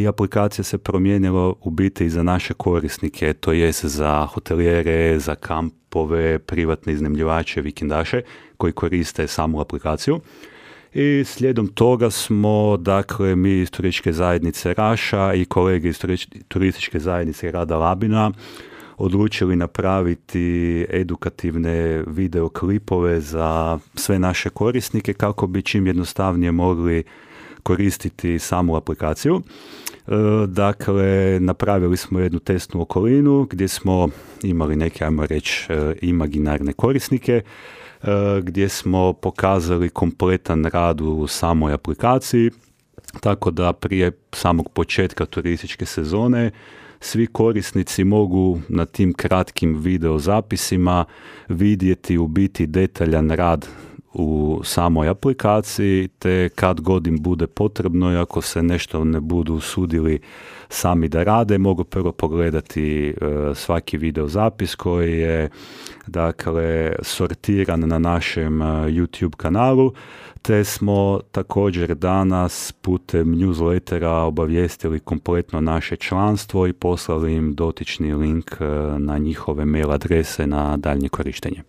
i aplikacija se promijenila u biti i za naše korisnike, to jest za hotelijere, za kampove, privatne iznajmljivače, vikendaše koji koriste samu aplikaciju. I slijedom toga smo, dakle, mi iz turističke zajednice Raša i kolege iz turističke zajednice Grada Labina odlučili napraviti edukativne videoklipove za sve naše korisnike kako bi čim jednostavnije mogli koristiti samu aplikaciju. Dakle, napravili smo jednu testnu okolinu gdje smo imali neke, ajmo reći, imaginarne korisnike, gdje smo pokazali kompletan rad u samoj aplikaciji, tako da prije samog početka turističke sezone svi korisnici mogu na tim kratkim video zapisima vidjeti u biti detaljan rad u samoj aplikaciji, te kad god im bude potrebno i ako se nešto ne budu usudili sami da rade, mogu prvo pogledati svaki video zapis koji je, dakle, sortiran na našem YouTube kanalu, te smo također danas putem newslettera obavijestili kompletno naše članstvo i poslali im dotični link na njihove mail adrese na daljnje korištenje.